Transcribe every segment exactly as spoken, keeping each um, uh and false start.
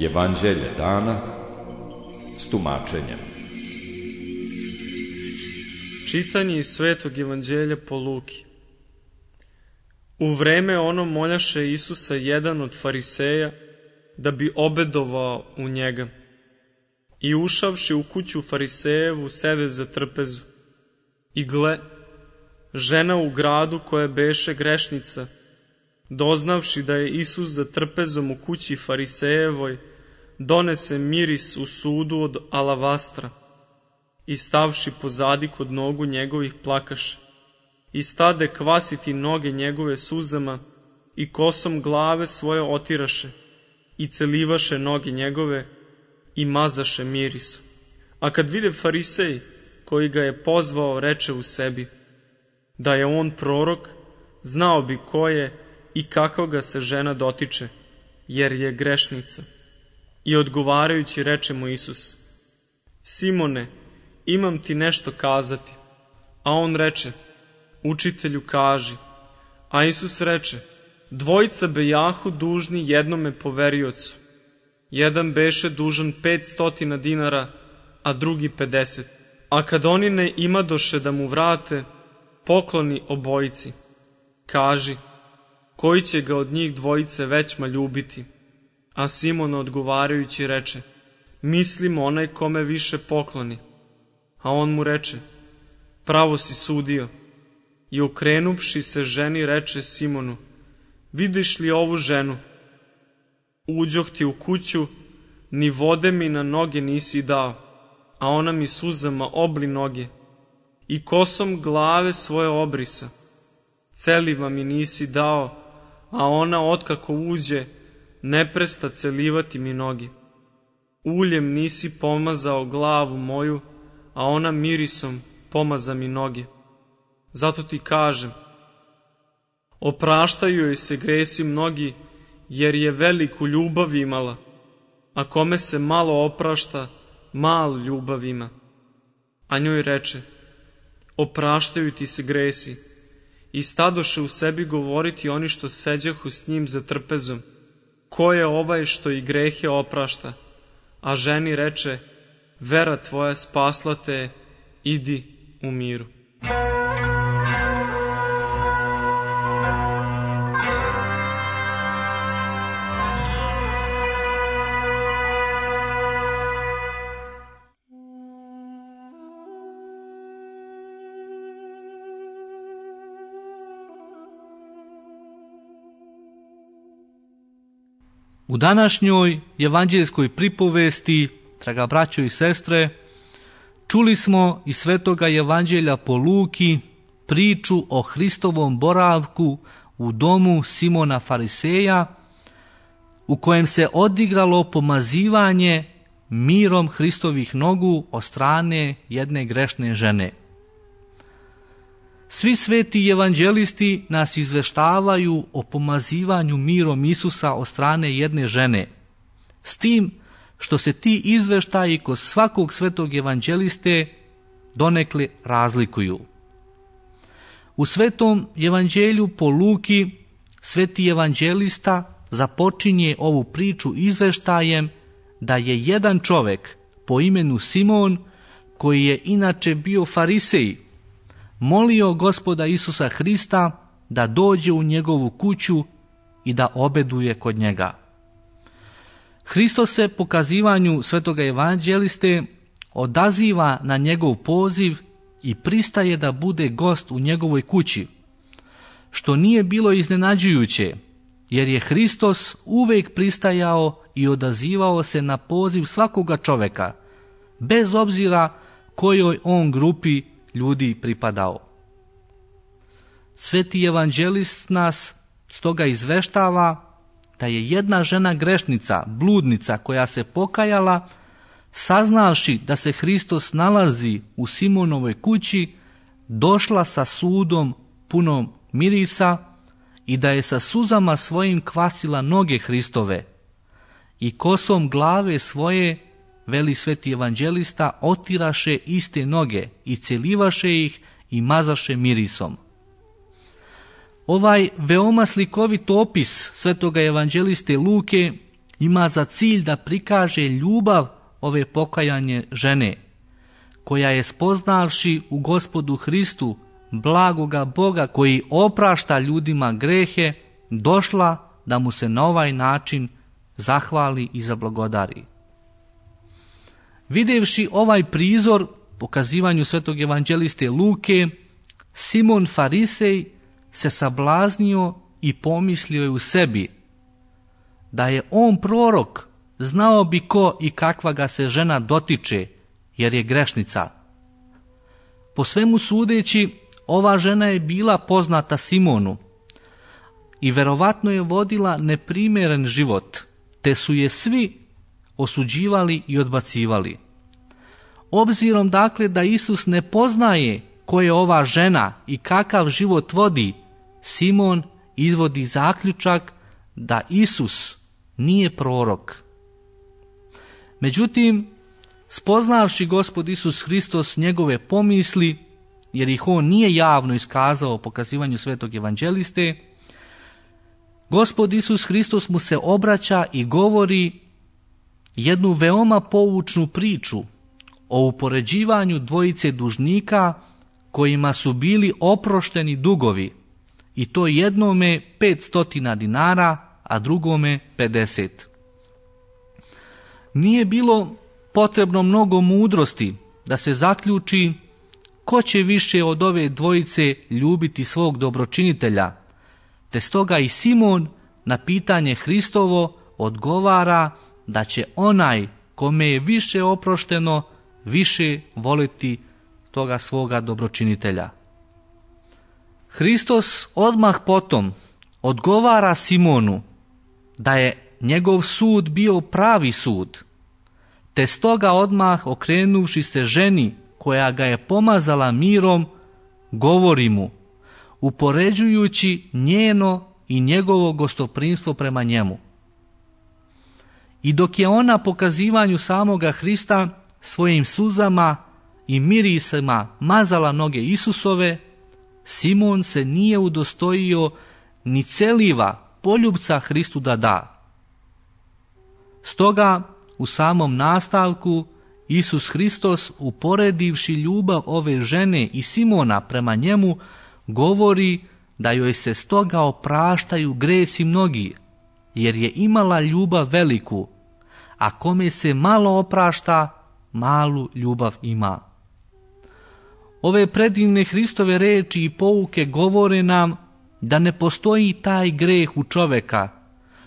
Evanđelje dana s tumačenjem. Čitanje iz Svetog evanđelja po Luki. U vreme ono moljaše Isusa jedan od fariseja da bi obedovao u njega. I ušavši u kuću farisejevu sede za trpezu. I gle, žena u gradu koja beše grešnica, doznavši da je Isus za trpezom u kući farisejevoj, donese miris u sudu od alavastra i stavši pozadi kod nogu njegovih plakaše i stade kvasiti noge njegove suzama i kosom glave svoje otiraše i celivaše noge njegove i mazaše mirisom. A kad vide farisej koji ga je pozvao, reče u sebi da je on prorok, znao bi ko je i kako ga se žena dotiče, jer je grešnica. I odgovarajući reče mu Isus: Simone, imam ti nešto kazati. A on reče: Učitelju, kaži. A Isus reče: Dvojica bejahu dužni jednome poveriocu. Jedan beše dužan pet stotina dinara, a drugi pedeset. A kad oni ne imadoše da mu vrate, pokloni obojici. Kaži, koji će ga od njih dvojice većma ljubiti? A Simon odgovarajući reče: Mislim onaj kome više pokloni. A on mu reče: Pravo si sudio. I okrenuvši se ženi reče Simonu: Vidiš li ovu ženu? Uđoh ti u kuću, ni vode mi na noge nisi dao, a ona mi suzama obli noge i kosom glave svoje obrisa. Celiva mi nisi dao, a ona otkako uđe ne presta celivati mi noge. Uljem nisi pomazao glavu moju, a ona mirisom pomaza mi noge. Zato ti kažem, opraštaju joj se gresi mnogi, jer je veliku ljubav imala, a kome se malo oprašta, mal ljubav ima. A njoj reče: Opraštaju ti se gresi. I stadoše u sebi govoriti oni što seđahu s njim za trpezom: Ko je ovaj što i grehe oprašta? A ženi reče: Vera tvoja spasla te, idi u miru. U današnjoj evanđeljskoj pripovesti, draga braćo i sestre, čuli smo iz Svetoga evanđelja po Luki priču o Hristovom boravku u domu Simona Fariseja, u kojem se odigralo pomazivanje mirom Hristovih nogu od strane jedne grešne žene. Svi sveti evanđelisti nas izveštavaju o pomazivanju mirom Isusa od strane jedne žene, s tim što se ti izveštaji kod svakog svetog evanđeliste donekle razlikuju. U Svetom evanđelju po Luki sveti evanđelista započinje ovu priču izveštajem da je jedan čovek po imenu Simon, koji je inače bio farisej, molio Gospoda Isusa Hrista da dođe u njegovu kuću i da obeduje kod njega. Hristos se po kazivanju svetoga evanđeliste odaziva na njegov poziv i pristaje da bude gost u njegovoj kući, što nije bilo iznenađujuće, jer je Hristos uvek pristajao i odazivao se na poziv svakoga čoveka, bez obzira kojoj on grupi ljudi pripadao. Sveti evanđelist nas stoga izveštava da je jedna žena grešnica, bludnica, koja se pokajala, saznavši da se Hristos nalazi u Simonovoj kući, došla sa sudom punom mirisa i da je sa suzama svojim kvasila noge Hristove i kosom glave svoje, veli sveti evanđelista, otiraše iste noge i celivaše ih i mazaše mirisom. Ovaj veoma slikovit opis svetoga evanđeliste Luke ima za cilj da prikaže ljubav ove pokajanje žene, koja je spoznavši u Gospodu Hristu blagoga Boga koji oprašta ljudima grehe, došla da mu se na ovaj način zahvali i zablagodari. Videvši ovaj prizor pokazivanju svetog evanđeliste Luke, Simon Farisej se sablaznio i pomislio je u sebi da je on prorok, znao bi ko i kakva ga se žena dotiče, jer je grešnica. Po svemu sudeći, ova žena je bila poznata Simonu i verovatno je vodila neprimjeren život, te su je svi osuđivali i odbacivali. Obzirom dakle da Isus ne poznaje ko je ova žena i kakav život vodi, Simon izvodi zaključak da Isus nije prorok. Međutim, spoznavši Gospod Isus Hristos njegove pomisli, jer ih on nije javno iskazao o pokazivanju svetog evanđeliste, Gospod Isus Hristos mu se obraća i govori jednu veoma poučnu priču o upoređivanju dvojice dužnika kojima su bili oprošteni dugovi, i to jednome petstotina dinara, a drugome pedeset. Nije bilo potrebno mnogo mudrosti da se zaključi ko će više od ove dvojice ljubiti svog dobročinitelja, te stoga i Simon na pitanje Hristovo odgovara da će onaj kome je više oprošteno više voliti toga svoga dobročinitelja. Hristos odmah potom odgovara Simonu da je njegov sud bio pravi sud, te stoga odmah okrenuvši se ženi koja ga je pomazala mirom, govori mu, upoređujući njeno i njegovo gostoprimstvo prema njemu. I dok je ona pokazivanju samoga Hrista svojim suzama i mirisima mazala noge Isusove, Simon se nije udostojio ni celiva poljubca Hristu da da. Stoga u samom nastavku Isus Hristos, uporedivši ljubav ove žene i Simona prema njemu, govori da joj se stoga opraštaju gresi mnogi, jer je imala ljubav veliku, a kome se malo oprašta, malu ljubav ima. Ove predivne Hristove reči i pouke govore nam da ne postoji taj greh u čoveka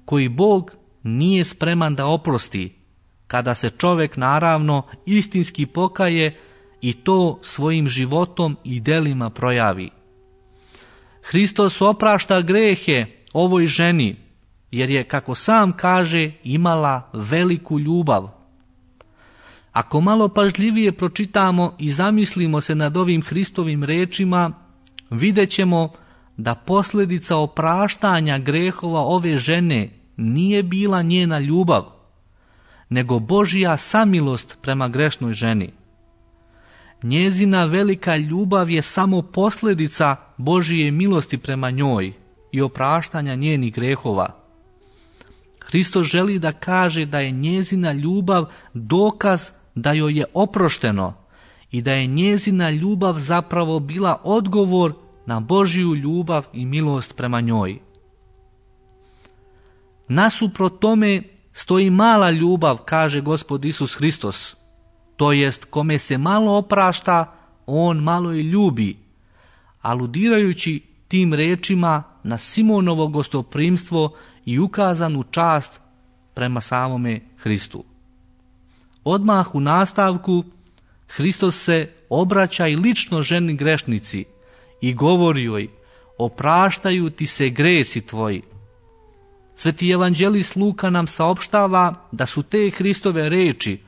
koji Bog nije spreman da oprosti, kada se čovek naravno istinski pokaje i to svojim životom i delima projavi. Hristos oprašta grehe ovoj ženi, jer je, kako sam kaže, imala veliku ljubav. Ako malo pažljivije pročitamo i zamislimo se nad ovim Hristovim rečima, vidjet ćemo da posljedica opraštanja grehova ove žene nije bila njena ljubav, nego Božja samilost prema grešnoj ženi. Njezina velika ljubav je samo posljedica Božije milosti prema njoj i opraštanja njenih grehova. Hristos želi da kaže da je njezina ljubav dokaz da joj je oprošteno i da je njezina ljubav zapravo bila odgovor na Božju ljubav i milost prema njoj. Nasuprot tome stoji mala ljubav, kaže Gospod Isus Hristos, to jest kome se malo oprašta, on malo i ljubi, aludirajući tim rečima na Simonovo gostoprimstvo i ukazanu čast prema samome Hristu. Odmah u nastavku Hristos se obraća i lično ženi grešnici i govori joj, opraštaju ti se gresi tvoji. Sveti evanđelist Luka nam saopštava da su te Hristove reči,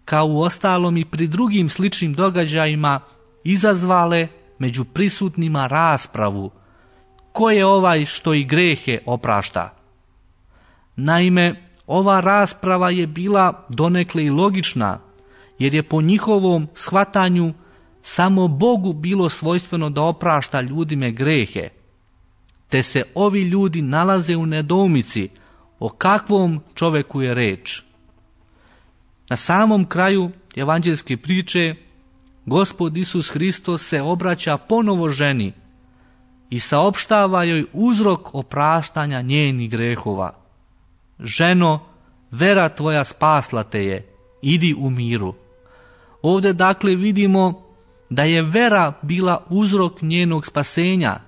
kao u ostalom i pri drugim sličnim događajima, izazvale među prisutnima raspravu, ko je ovaj što i grehe oprašta. Naime, ova rasprava je bila donekle i logična, jer je po njihovom shvatanju samo Bogu bilo svojstveno da oprašta ljudime grehe. te se ovi ljudi nalaze u nedoumici o kakvom čoveku je reč. Na samom kraju evanđelske priče Gospod Isus Hristos se obraća ponovo ženi i saopštava joj uzrok opraštanja njenih grehova. Ženo, vera tvoja spasla te je, idi u miru. Ovdje dakle vidimo da je vera bila uzrok njenog spasenja,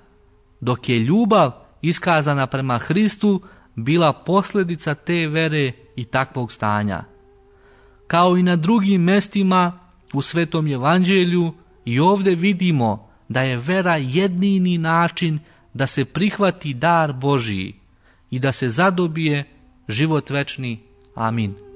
dok je ljubav iskazana prema Hristu bila posljedica te vere i takvog stanja. Kao i na drugim mestima u Svetom Evanđelju, i ovdje vidimo da je vera jedini način da se prihvati dar Božiji i da se zadobije život večni. Amin.